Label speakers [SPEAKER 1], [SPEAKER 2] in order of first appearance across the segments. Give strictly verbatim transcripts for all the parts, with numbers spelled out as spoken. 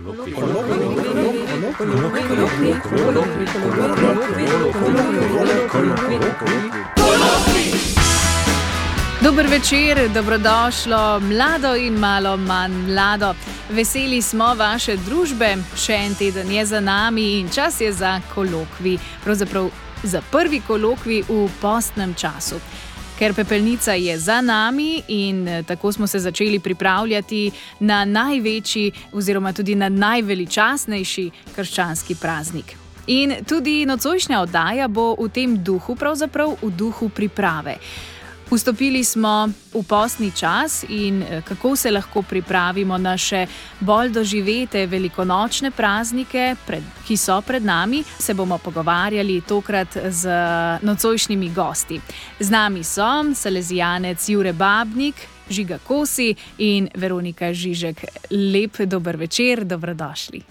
[SPEAKER 1] Dober večer, dobrodošlo, mlado in malo manj mlado. Veseli smo vaše družbe, še en teden je za nami in čas je za kolokvij. Pravzaprav za prvi kolokvij v postnem času. Ker pepelnica je za nami in tako smo se začeli pripravljati na največji oziroma tudi na najveličastnejši krščanski praznik. In tudi nocojšnja oddaja bo v tem duhu, pravzaprav v duhu priprave. Vstopili smo v postni čas in kako se lahko pripravimo na še bolj doživete velikonočne praznike, pred, ki so pred nami, se bomo pogovarjali tokrat z nocojšnjimi gosti. Z nami so salezijanec Jure Babnik, Žiga Kosi in Veronika Žižek. Lep dober večer, dobrodošli.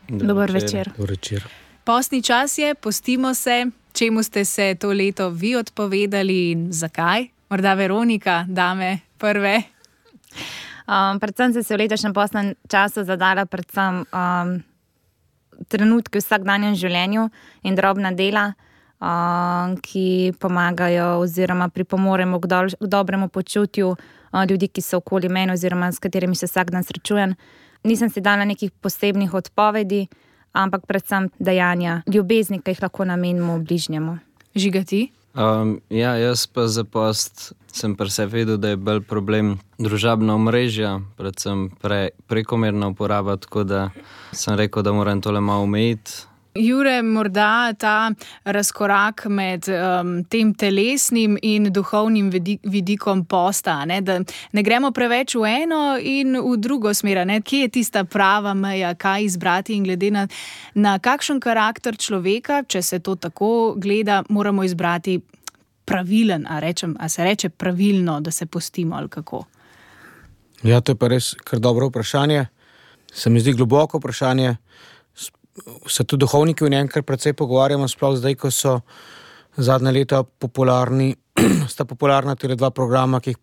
[SPEAKER 2] Dober večer.
[SPEAKER 3] Dober večer.
[SPEAKER 1] Postni čas je, postimo se. Čemu ste se to leto vi odpovedali in zakaj? Morda Veronika, dame prve.
[SPEAKER 2] Um, predvsem sem se v letošnjem postnem času zadala predvsem um, trenutke v vsakdanjem življenju in drobna dela, um, ki pomagajo oziroma pripomoremo k, do, k dobremu počutju uh, ljudi, ki so okoli mene oziroma s katerimi se vsak dan srečujem. Nisem si dala nekih posebnih odpovedi, ampak predvsem dejanja ljubezni, ki jih lahko namenimo bližnjemu.
[SPEAKER 1] Žiga, ti?
[SPEAKER 4] Um, ja, jaz pa za post sem pri sebi vedel, da je bolj problem družabna omrežja, predvsem pre, prekomerna uporaba, tako da sem rekel, da moram tole malo omejiti.
[SPEAKER 1] Jure, morda ta razkorak med um, tem telesnim in duhovnim vidikom posta, ne? Da ne gremo preveč v eno in v drugo smer, ne? Kje je tista prava meja, kaj izbrati in glede na, na kakšen karakter človeka, če se to tako gleda, moramo izbrati pravilen, a, rečem, a se reče pravilno, da se postimo ali kako?
[SPEAKER 3] Ja, to je pa res kar dobro vprašanje. Se mi zdi globoko vprašanje. Se tudi duhovniki v njem kar precej pogovarjamo, sploh zdaj, ko so zadnje leta popularni, sta popularna tele dva programa, ki jih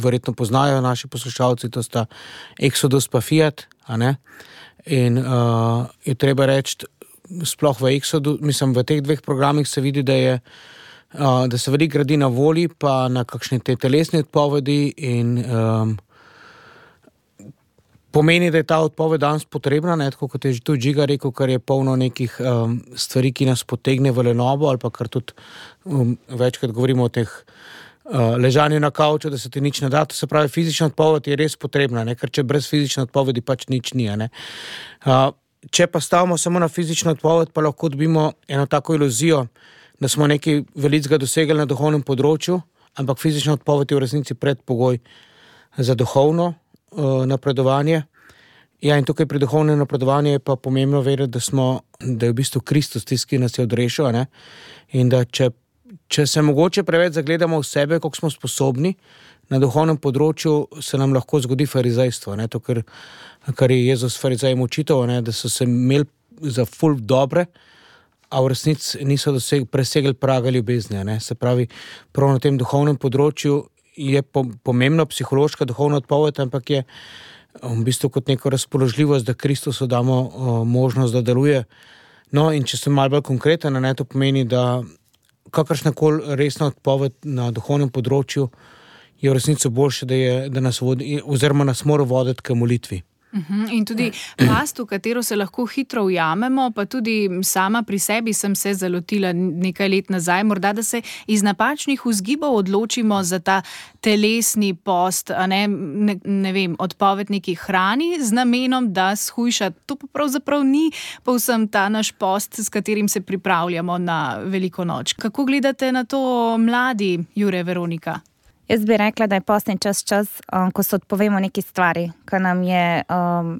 [SPEAKER 3] verjetno poznajo naši poslušalci, to sta Exodus pa Fiat, a ne? In uh, je treba reči, sploh v Exodus, mislim, v teh dveh programih se vidi, da je, uh, da se veliko gradi na volji, pa na kakšne te telesne odpovedi in um, pomeni, da je ta odpoved danes potrebna, ne, tako kot je tudi Žiga rekel, kar je polno nekih um, stvari, ki nas potegne v lenobo, ali pa kar tudi um, večkrat govorimo o teh uh, ležanju na kavču, da se ti nič ne da. To se pravi, fizična odpoved je res potrebna, ne, ker če brez fizične odpovedi pač nič ni. Ne. Uh, če pa stavimo samo na fizično odpoved, pa lahko dobimo eno tako iluzijo, da smo nekaj velikega dosegli na duhovnem področju, ampak fizična odpoved je v resnici predpogoj za duhovno napredovanje. Ja, in tukaj pri duhovnem napredovanju je pa pomembno vedeti, da smo, da je v bistvu Kristus tisti, ki nas je odrešil, ne? In da če, če se mogoče preveč zagledamo v sebe, koliko smo sposobni, na duhovnem področju se nam lahko zgodi farizejstvo, ne? To, kar, kar je Jezus farizejem učitelj, ne? Da so se imeli za ful dobre, a v resnici niso doseg, presegli praga ljubezni, ne? Se pravi, prav na tem duhovnem področju je pomembna psihološka duhovna odpoved, ampak je v bistvu kot neko razpoložljivost, da Kristusu damo o, možnost, da deluje. No, in če sem malo bolj konkreten, ne, to pomeni, da kakršnakoli resna odpoved na duhovnem področju je v resnici boljše, da, je, da nas vodi, oziroma nas mora voditi k molitvi.
[SPEAKER 1] Uhum. In tudi past, v katero se lahko hitro ujamemo, pa tudi sama pri sebi sem se zalotila nekaj let nazaj, morda da se iz napačnih vzgibov odločimo za ta telesni post, a ne, ne, ne vem, odpoved neki hrani z namenom, da shujša. To pa pravzaprav ni povsem ta naš post, s katerim se pripravljamo na veliko noč. Kako gledate na to mladi, Jure, Veronika?
[SPEAKER 2] Jaz bi rekla, da je postni čas čas, um, ko se odpovemo neki stvari, ki nam je, um,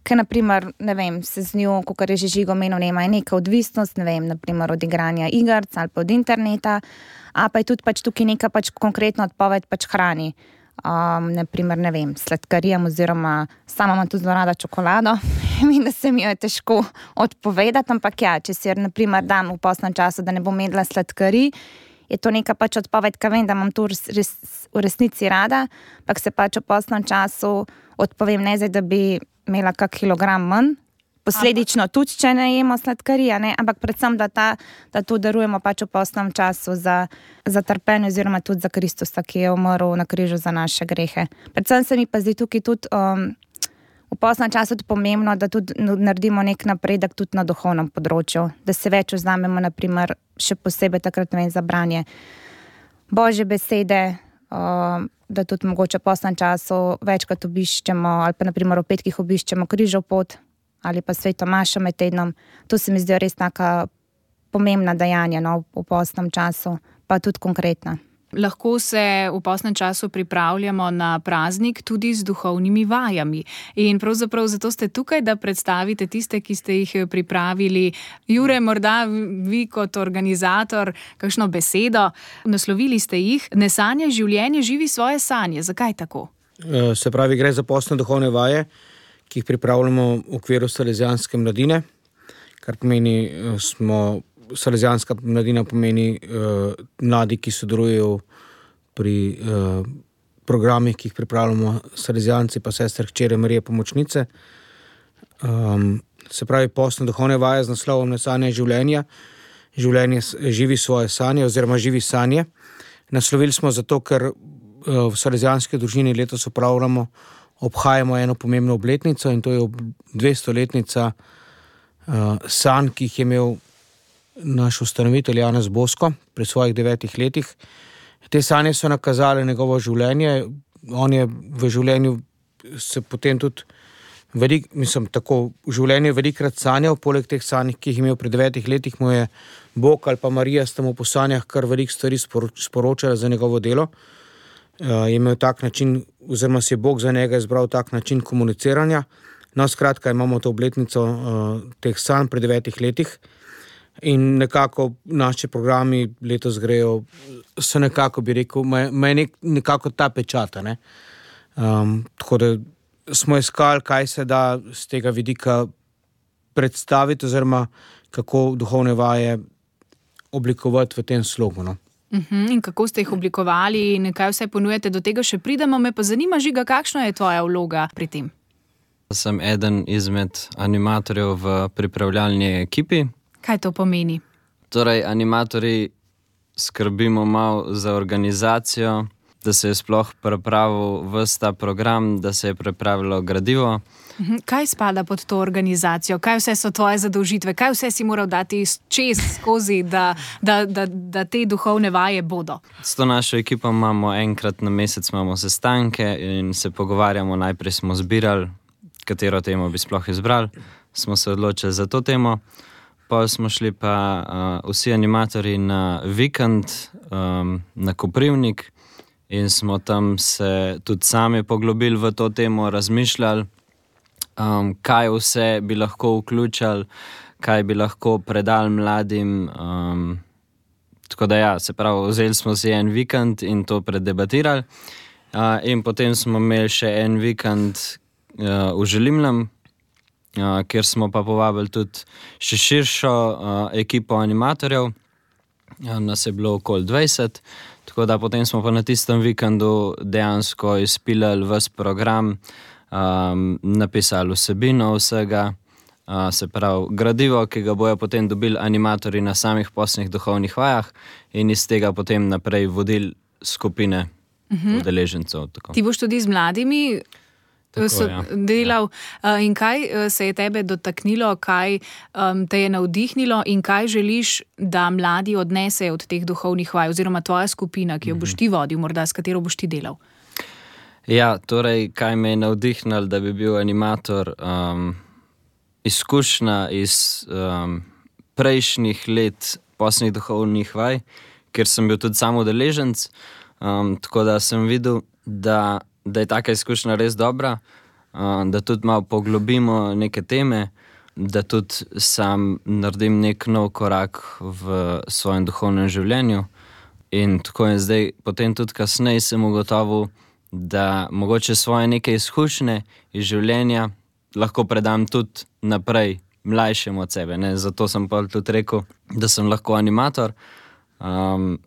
[SPEAKER 2] ki naprimer, ne vem, se z njo, kakor je že Žigo omenil, nema je neka odvisnost, ne vem, naprimer od igranja igrc ali pa od interneta, a pa je tudi pač tukaj neka pač konkretna odpoved pač hrani. Um, naprimer, ne vem, sladkarijam oziroma sama imam tudi zelo rada čokolado in da se mi jo je težko odpovedati, ampak ja, če si naprimer dam v postnem času, da ne bom jedla sladkarij, je to neka pač odpoved, ka vem, da imam to res, res, v resnici rada, ampak se pač v postnem času odpovem ne zdaj, da bi imela kak kilogram manj. Posledično tudi, če ne jemo sladkarija, ne? Ampak predvsem, da, ta, da to darujemo pač v postnem času za, za trpenje oziroma tudi za Kristusa, ki je umrl na križu za naše grehe. Predvsem se mi pa zdi tukaj tudi um, v postnem času tudi pomembno, da tudi naredimo nek napredek tudi na duhovnem področju, da se več vzamemo, naprimer, še posebej takrat, ne vem, za branje Božje besede, um, da tudi mogoče v postnem času večkrat obiščemo, ali pa naprimer v petkih obiščemo križov pot, ali pa sveto mašo med tednom. To se mi zdi res taka pomembna dejanja, no, v postnem času, pa tudi konkretna.
[SPEAKER 1] Lahko se v postnem času pripravljamo na praznik tudi z duhovnimi vajami. In pravzaprav zato ste tukaj, da predstavite tiste, ki ste jih pripravili. Jure, morda vi kot organizator, kakšno besedo. Naslovili ste jih: Ne sanjaj življenje, živi svoje sanje. Zakaj tako?
[SPEAKER 3] Se pravi, gre za postne duhovne vaje, ki jih pripravljamo v okviru Salezijanske mladine, kar pomeni, smo, Salezijanska mladina pomeni uh, mladi, ki sodelujejo pri uh, programih, ki jih pripravljamo Salezijanci pa sestre hčere Marije Pomočnice. Um, se pravi, postne duhovne vaje z naslovom Ne sanjaj življenja, življenje živi svoje sanje oziroma živi sanje. Naslovili smo zato, ker uh, v Salezijanski družini letos upravljamo obhajamo eno pomembno obletnico in to je dvestoletnica uh, sanj, ki jih je imel naš ustanovitelj Janez Bosko pri svojih devetih letih. Te sanje so nakazale njegovo življenje. On je v življenju se potem tudi velik, mislim, tako v življenju velikrat sanjal, poleg teh sanj, ki jih je imel pri devetih letih, mu je Bog ali pa Marija sta mu po sanjah kar veliko stvari sporočala za njegovo delo. Uh, je imel tak način, oziroma si je Bog za njega izbral tak način komuniciranja. No, skratka, imamo to obletnico uh, teh sanj pri devetih letih in nekako naši programi letos grejo, so nekako, bi rekel, ima nek, nekako ta pečata, ne. Um, tako da smo iskali, kaj se da z tega vidika predstaviti, oziroma kako duhovne vaje oblikovati v tem slogu, no.
[SPEAKER 1] Uhum, in kako ste jih oblikovali in kaj vse ponujete, do tega še pridemo. Me pa zanima, Žiga, kakšna je tvoja vloga pri tem?
[SPEAKER 4] Sem eden izmed animatorjev v pripravljalni ekipi.
[SPEAKER 1] Kaj to pomeni?
[SPEAKER 4] Torej, animatorji skrbimo malo za organizacijo, da se je sploh pripravil ves ta program, da se je pripravilo gradivo.
[SPEAKER 1] Kaj spada pod to organizacijo? Kaj vse so tvoje zadolžitve? Kaj vse si moral dati čez skozi, da, da, da, da te duhovne vaje bodo?
[SPEAKER 4] S to našo ekipo imamo enkrat na mesec imamo sestanke in se pogovarjamo. Najprej smo zbirali, katero temo bi sploh izbrali. Smo se odločili za to temo. Potem smo šli pa uh, vsi animatorji na vikend um, na Koprivnik in smo tam se tudi sami poglobili v to temo, razmišljali, Um, kaj vse bi lahko vključali, kaj bi lahko predali mladim. Um, tako da ja, se pravi, vzeli smo si en vikend in to predebatirali. Uh, in potem smo imeli še en vikend uh, v Želimnem, uh, kjer smo pa povabili tudi še širšo uh, ekipo animatorjev. Uh, nas je bilo okoli dvajset, tako da potem smo pa na tistem vikendu dejansko izpilali ves program, Um, napisali vsebino vsega, uh, se pravi gradivo, ki ga bojo potem dobili animatorji na samih postnih duhovnih vajah in iz tega potem naprej vodili skupine uh-huh. udeležencev. Tako.
[SPEAKER 1] Ti boš tudi z mladimi
[SPEAKER 4] tako,
[SPEAKER 1] so
[SPEAKER 4] ja.
[SPEAKER 1] delal ja. In kaj se je tebe dotaknilo, kaj um, te je navdihnilo in kaj želiš, da mladi odnesejo od teh duhovnih vaj, oziroma tvoja skupina, ki jo boš ti vodil, morda s katero boš ti delal?
[SPEAKER 4] Ja, torej, kaj me je navdihnilo, da bi bil animator, um, izkušnja iz um, prejšnjih let postnih duhovnih vaj, ker sem bil tudi sam udeleženec, um, tako da sem videl, da, da je taka izkušnja res dobra, um, da tudi malo poglobimo neke teme, da tudi sam naredim nek nov korak v svojem duhovnem življenju. In tako je zdaj, potem tudi kasneje sem ugotovil, da mogoče svoje neke izkušnje iz življenja lahko predam tudi naprej mlajšemu od sebe. Ne? Zato sem pa tudi rekel, da sem lahko animator. Um,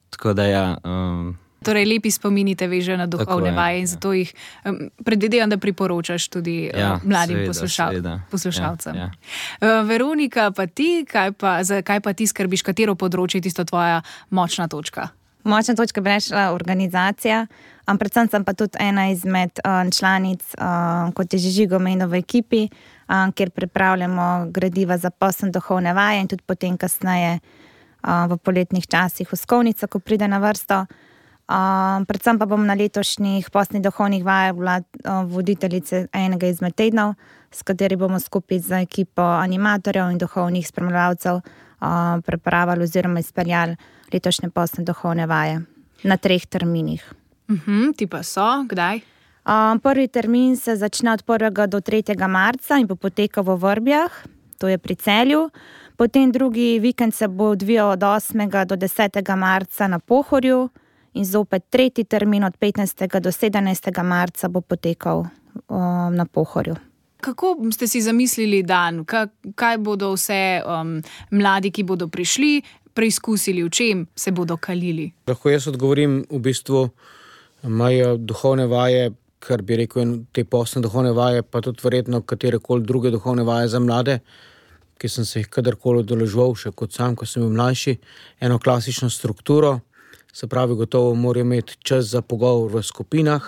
[SPEAKER 4] tako da ja, um,
[SPEAKER 1] Torej, lepi spomini te veže na duhovne
[SPEAKER 4] Tako je,
[SPEAKER 1] vaje in
[SPEAKER 4] ja.
[SPEAKER 1] zato jih um, predvidevam, da priporočaš tudi
[SPEAKER 4] Ja,
[SPEAKER 1] uh, mladim
[SPEAKER 4] seveda,
[SPEAKER 1] poslušal,
[SPEAKER 4] seveda.
[SPEAKER 1] poslušalcem.
[SPEAKER 4] Ja,
[SPEAKER 1] Uh, Veronika, pa ti, kaj pa, za kaj pa ti skrbiš, katero področje je tisto tvoja močna točka?
[SPEAKER 2] Močna točka bi rekla organizacija, um, predvsem sem pa tudi ena izmed um, članic, um, kot je že Žigo omenil, v ekipi, um, kjer pripravljamo gradiva za postne duhovne vaje in tudi potem kasneje um, v poletnih časih uskovnica, ko pride na vrsto. Um, predvsem pa bom na letošnjih postnih duhovnih vajah bila um, voditeljica enega izmed tednov, s kateri bomo skupaj z ekipo animatorjev in duhovnih spremljevalcev um, pripravili oziroma izpeljali letošnje postne duhovne vaje na treh terminih.
[SPEAKER 1] Uh-huh, ti pa so, kdaj?
[SPEAKER 2] Um, prvi termin se začne od prvega do tretjega marca in bo potekal v Vrbjah, to je pri Celju. Potem drugi vikend se bo odvijal od osmega do desetega marca na Pohorju in zopet tretji termin od petnajstega do sedemnajstega marca bo potekal um, na Pohorju.
[SPEAKER 1] Kako ste si zamislili dan? Kaj, kaj bodo vse um, mladi, ki bodo prišli, preizkusili, v čem se bodo kalili?
[SPEAKER 3] Lahko jaz odgovorim, v bistvu imajo duhovne vaje, kar bi rekel, te postne duhovne vaje, pa tudi verjetno katerekoli druge duhovne vaje za mlade, ki sem se jih kadarkoli udeleževal, še kot sam, ko sem bil mlajši, eno klasično strukturo, se pravi, gotovo morajo imeti čas za pogovor v skupinah,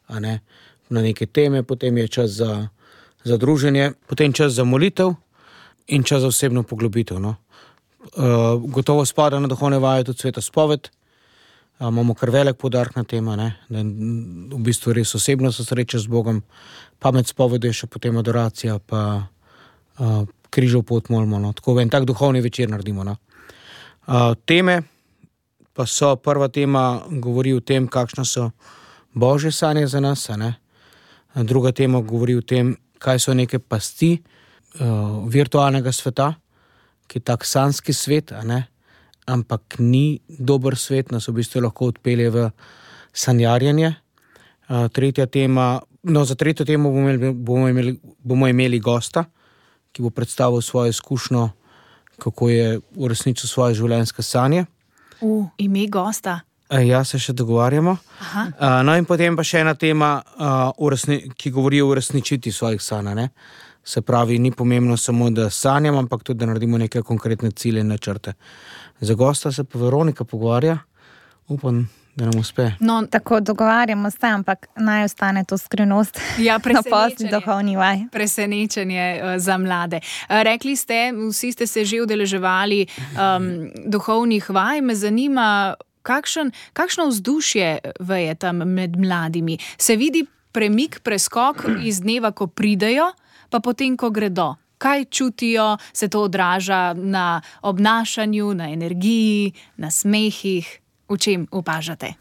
[SPEAKER 3] a ne, na neke teme, potem je čas za, za druženje, potem čas za molitev in čas za osebno poglobitev. No. Uh, gotovo spada na duhovne vaje tudi sveta spoved. Uh, imamo kar velik poudarek na tem, da v bistvu res osebno se srečaš z Bogom, pa med spovedjo še potem adoracija, pa uh, križov pot molimo. No. Tako en tak duhovni večer naredimo. No. Uh, teme pa so, prva tema govori o tem, kakšne so Božje sanje za nas, a ne. Druga tema govori o tem, kaj so neke pasti uh, virtualnega sveta, ki je tak sanjski svet, a ne, ampak ni dober svet, nas v bistvu lahko odpelje v sanjarjenje. Uh, tretja tema, no za tretjo temo bomo imeli, bomo imeli, bomo imeli gosta, ki bo predstavil svojo izkušnjo, kako je uresničil svoje življenjske sanje.
[SPEAKER 1] V ime gosta.
[SPEAKER 3] Uh, ja, se še dogovarjamo. Uh, no in potem pa še ena tema, uh, uresni, ki govori o uresničiti svojih sanj, ne. Se pravi, ni pomembno samo, da sanjam, ampak tudi, da naredimo neke konkretne cilje in načrte. Za gosta se pa Veronika pogovarja. Upam, da nam uspe.
[SPEAKER 2] No, tako dogovarjamo se, ampak naj ostane to skrivnost
[SPEAKER 1] Ja,
[SPEAKER 2] na postni duhovni vaj.
[SPEAKER 1] Presenečenje uh, za mlade. Uh, rekli ste, vsi ste se že udeleževali um, duhovnih vaj. Me zanima, kakšen, kakšno vzdušje veje tam med mladimi. Se vidi premik, preskok iz dneva, ko pridejo, pa potem, ko gredo. Kaj čutijo, se to odraža na obnašanju, na energiji, na smehih, v čem opažate?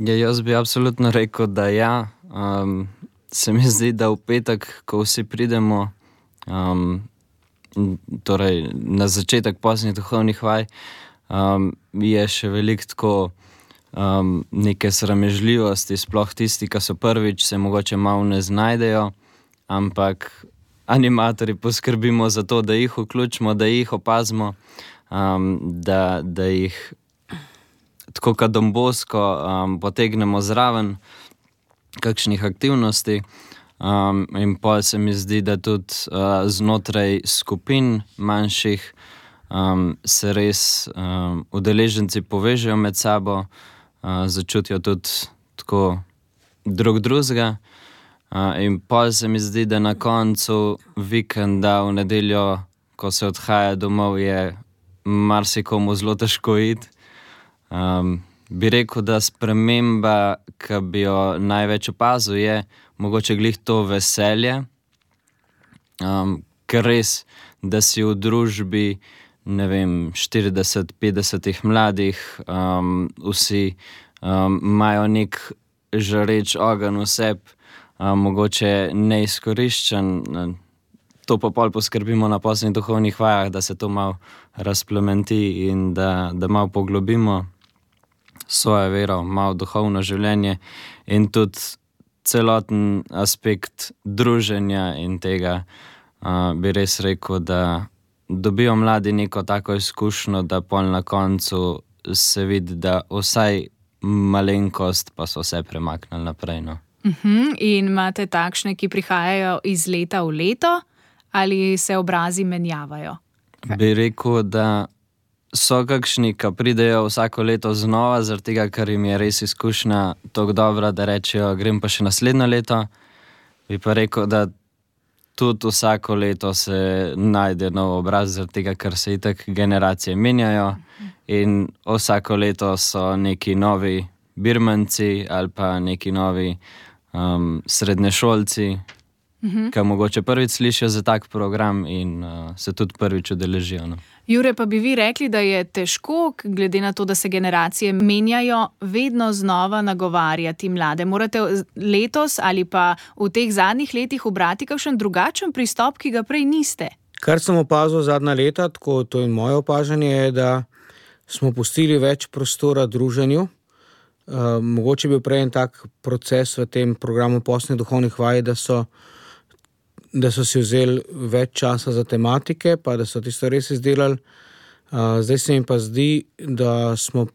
[SPEAKER 4] Ja, jaz bi absolutno rekel, da ja. Um, se mi zdi, da v petek, ko vsi pridemo, um, torej na začetek postnih duhovnih vaj, um, je še veliko tako um, neke sramežljivosti, sploh tisti, ki so prvič, se mogoče malo ne znajdejo, ampak animatorji poskrbimo za to, da jih vključimo, da jih opazimo, um, da, da jih tako kot Don Bosco um, potegnemo zraven kakšnih aktivnosti. Um, in pol se mi zdi, da tudi uh, znotraj skupin manjših um, se res um, udeleženci povežejo med sabo, uh, začutijo tudi tako drug drugega. Uh, in pol se mi zdi, da na koncu vikenda v nedeljo, ko se odhaja domov, je marsikomu zelo težko iti. Um, bi rekel, da sprememba, ki bi jo največ opazil, je mogoče glih to veselje, um, ker res, da si v družbi, ne vem, štirideset petdesetih mladih, um, vsi um, imajo nek žareč ogenj v sebi, Um, mogoče neizkoriščen, to pa pol poskrbimo na postnih duhovnih vajah, da se to malo razplementi in da, da malo poglobimo svojo vero, malo duhovno življenje in tudi celoten aspekt druženja in tega uh, bi res rekel, da dobijo mladi neko tako izkušnjo, da pol na koncu se vidi, da vsaj malenkost, pa so vse premaknili naprej. No.
[SPEAKER 1] Uh-huh. In imate takšne, ki prihajajo iz leta v leto, ali se obrazi menjavajo?
[SPEAKER 4] Bi rekel, da so kakšni, ki pridejo vsako leto znova, zaradi tega, ker jim je res izkušnja tako dobra, da rečejo, grem pa še naslednje leto. Bi pa rekel, da tudi vsako leto se najde nov obraz, zaradi tega, ker se itak generacije menjajo in vsako leto so neki novi birmanci ali pa neki novi um, srednješolci, uh-huh. ki mogoče prvič slišijo za tak program in uh, se tudi prvič udeležijo. No.
[SPEAKER 1] Jure, pa bi vi rekli, da je težko, glede na to, da se generacije menjajo, vedno znova nagovarjati mlade. Morate letos ali pa v teh zadnjih letih ubrati kakšen drugačen pristop, ki ga prej niste?
[SPEAKER 3] Kar sem opazil zadnja leta, tako to je moje opažanje, je, da smo pustili več prostora druženju. Uh, mogoče bi bil prej en tak proces v tem programu postnih duhovnih vaj, da so da so si vzeli več časa za tematike, pa da so tisto res izdelali. Uh, zdaj se mi pa zdi, da smo,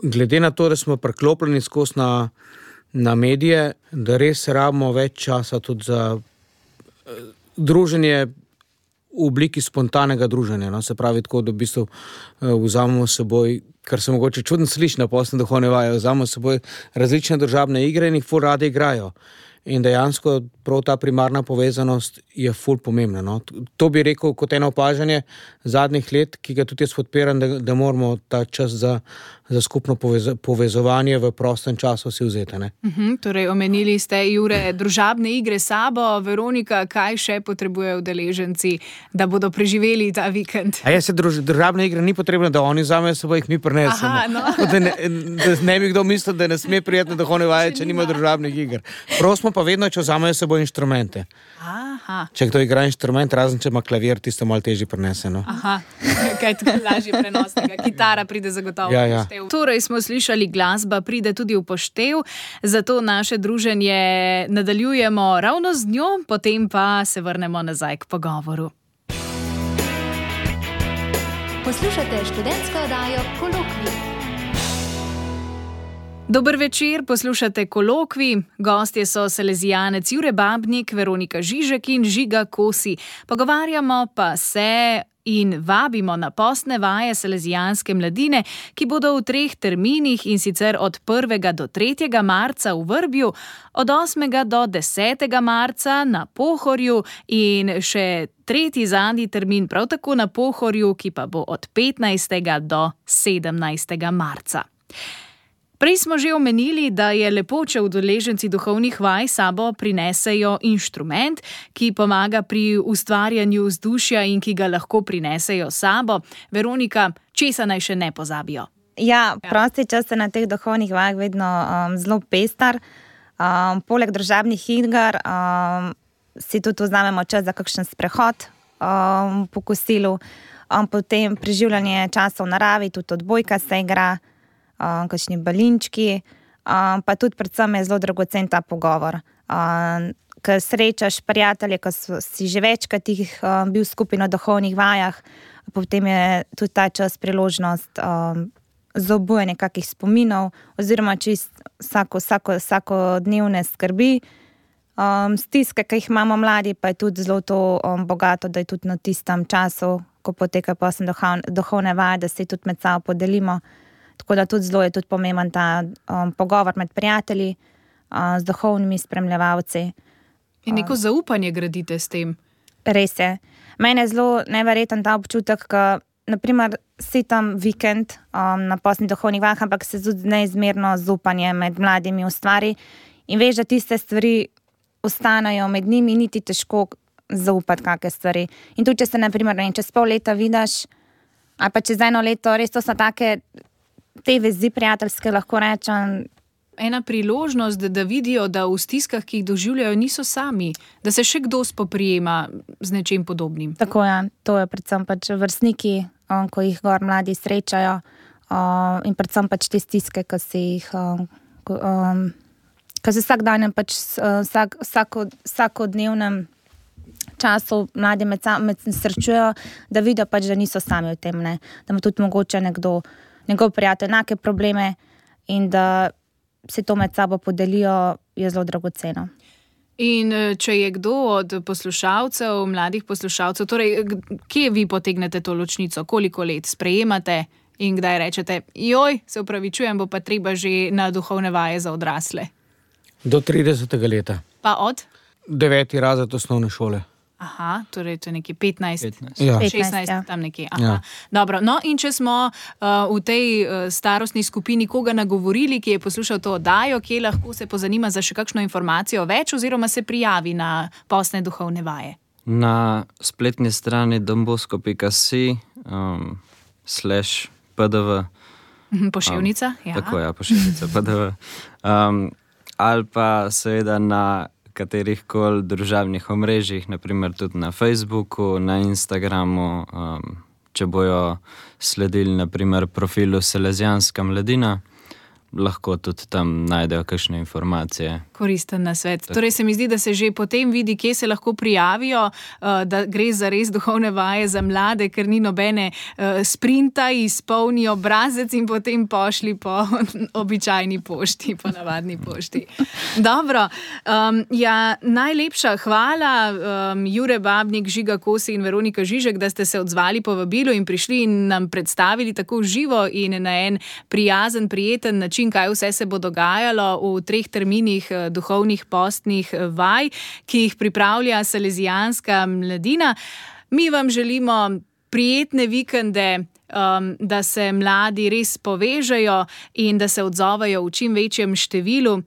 [SPEAKER 3] glede na to, da smo preklopljeni skozi na, na medije, da res rabimo več časa tudi za uh, druženje v obliki spontanega druženja. No? Se pravi tako, da v bistvu uh, vzamemo s seboj, kar se mogoče čudno sliši na postne duhovne vaje, vzamemo s seboj različne družabne igre in jih ful radi igrajo. In dejansko prav ta primarna povezanost je ful pomembna. No? To bi rekel kot eno opažanje zadnjih let, ki ga tudi jaz podpiram, da, da moramo ta čas za, za skupno povez, povezovanje v prostem času si vzeti. Ne?
[SPEAKER 1] Uh-huh, torej, omenili ste, Jure, družabne igre sabo. Veronika, kaj še potrebujejo udeleženci, da bodo preživeli ta vikend?
[SPEAKER 3] A ja, se druž, družabne igre ni potrebno, da oni vzamejo seboj, jih mi prinesemo.
[SPEAKER 1] Aha, no.
[SPEAKER 3] da, ne, da ne bi kdo mislil, da ne sme prijetno duhovne vaje, če nima družabnih iger. Prosimo pa vedno, če vzamejo seboj inštrumente.
[SPEAKER 1] Aha.
[SPEAKER 3] Če kdo igra inštrument, razen če ima klavir, tisto malo težje prenese. No?
[SPEAKER 1] Aha, kaj je tukaj lažje prenosnega. Kitara pride zagotovo
[SPEAKER 3] ja,
[SPEAKER 1] v
[SPEAKER 3] ja.
[SPEAKER 1] poštev. Torej smo slišali, glasba pride tudi v poštev, zato naše druženje nadaljujemo ravno z njo, potem pa se vrnemo nazaj k pogovoru.
[SPEAKER 5] Poslušate študentsko oddajo Kolokvij.
[SPEAKER 1] Dober večer, poslušate Kolokvij. Gostje so salezijanec Jure Babnik, Veronika Žižek in Žiga Kosi. Pogovarjamo pa se in vabimo na postne vaje salezijanske mladine, ki bodo v treh terminih, in sicer od prvega do tretjega marca v Vrbju, od osmega do desetega marca na Pohorju in še tretji zadnji termin prav tako na Pohorju, ki pa bo od petnajstega do sedemnajstega marca. Prej smo že omenili, da je lepo, če udeleženci duhovnih vaj sabo prinesejo inštrument, ki pomaga pri ustvarjanju vzdušja in ki ga lahko prinesejo sabo. Veronika, česa naj še ne pozabijo?
[SPEAKER 2] Ja, prosti čas je na teh duhovnih vajah vedno um, zelo pestar. Um, poleg družabnih iger um, si tudi vzamemo čas za kakšen sprehod um, po kosilu, um, potem preživljanje časa v naravi, tudi odbojka se igra, Um, kakšni balinčki, um, pa tudi predvsem je zelo dragocen ta pogovor. Um, ker srečaš prijatelje, ko si že večkrat jih um, bil skupaj na duhovnih vajah, potem je tudi ta čas priložnost um, za obujanje kakih spominov oziroma čist vsako, vsako, vsakodnevne skrbi. Um, stiske, ki jih imamo mladi, pa je tudi zelo to um, bogato, da je tudi na tistem času, ko poteka posebno duhovne vaje, da se tudi med sabo podelimo. Tako da tudi zelo je tudi pomemben ta um, pogovor med prijatelji, uh, z duhovnimi spremljevalci.
[SPEAKER 1] In neko zaupanje gradite s tem.
[SPEAKER 2] Res je. Mene je zelo neverjeten ta občutek, ko naprimer si tam vikend um, na postnih duhovnih vajah, ampak se tudi neizmerno zaupanje med mladimi ustvari in veš, da tiste stvari ostanejo med njimi, niti težko zaupati kakšne stvari. In tudi, če se naprimer ne, čez pol leta vidiš, ali pa čez eno leto, res to so take te vezi prijateljske, lahko rečem.
[SPEAKER 1] Ena priložnost, da vidijo, da v stiskah, ki jih doživljajo, niso sami, da se še kdo spoprijema z nečim podobnim.
[SPEAKER 2] Tako je, to je predvsem pač vrstniki, um, ko jih gor mladi srečajo, um, in predvsem pač te stiske, ki se jih um, um, ki se vsak dan pač vsak, vsako, vsakodnevnem času mladi med, med srečujejo, da vidijo pač, da niso sami v tem, ne? Da ima tudi mogoče nekdo njegov prijatelj enake probleme in da se to med sabo podelijo, je zelo dragoceno.
[SPEAKER 1] In če je kdo od poslušalcev, mladih poslušalcev, torej, kje vi potegnete to ločnico, koliko let sprejemate in kdaj rečete, joj, se upravičujem, bo pa treba že na duhovne vaje za odrasle?
[SPEAKER 3] Do tridesetega leta.
[SPEAKER 1] Pa od?
[SPEAKER 3] Deveti razred osnovne šole.
[SPEAKER 1] Aha, torej to je nekje petnajst,
[SPEAKER 4] petnajst.
[SPEAKER 3] Ja.
[SPEAKER 1] šestnajst,
[SPEAKER 2] ja.
[SPEAKER 1] tam nekje. Aha.
[SPEAKER 3] Ja.
[SPEAKER 1] Dobro, no in če smo uh, v tej uh, starostni skupini koga nagovorili, ki je poslušal to oddajo, kje lahko se pozanima za še kakšno informacijo več oziroma se prijavi na postne duhovne vaje?
[SPEAKER 4] Na spletni strani dombosko pika si um, slash pdv.
[SPEAKER 1] Poševnica?
[SPEAKER 4] Um,
[SPEAKER 1] Ja.
[SPEAKER 4] Tako je, poševnica pdv. Um, ali pa seveda na katerih koli družabnih omrežjih, naprimer tudi na Facebooku, na Instagramu, um, če bojo sledili naprimer profilu Salezijanska mladina, lahko tudi tam najdejo kakšne informacije.
[SPEAKER 1] Koristen nasvet. Torej se mi zdi, da se že potem vidi, kje se lahko prijavijo, da gre za res duhovne vaje za mlade, ker ni nobene sprinta, izpolni obrazec in potem pošli po običajni pošti, po navadni pošti. Dobro, um, ja, najlepša hvala, um, Jure Babnik, Žiga Kosi in Veronika Žižek, da ste se odzvali po vabilu in prišli in nam predstavili tako živo in na en prijazen, prijeten način, kaj vse se bo dogajalo v treh terminih duhovnih postnih vaj, ki jih pripravlja Salezijanska mladina. Mi vam želimo prijetne vikende, um, da se mladi res povežejo in da se odzovejo v čim večjem številu, uh,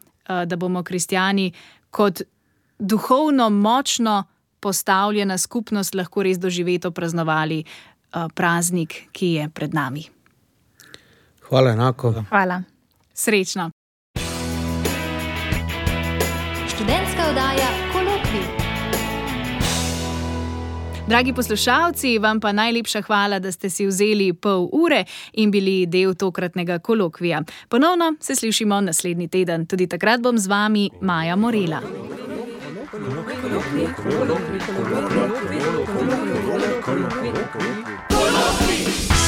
[SPEAKER 1] da bomo kristjani kot duhovno močno postavljena skupnost lahko res doživeto praznovali uh, praznik, ki je pred nami.
[SPEAKER 3] Hvala enako.
[SPEAKER 2] Hvala.
[SPEAKER 1] Srečno.
[SPEAKER 5] Študentska oddaja Kolokvij.
[SPEAKER 1] Dragi poslušalci, vam pa najlepša hvala, da ste si vzeli pol ure in bili del tokratnega kolokvija. Ponovno se slišimo naslednji teden. Tudi takrat bom z vami Maja Morela. Kolokvij.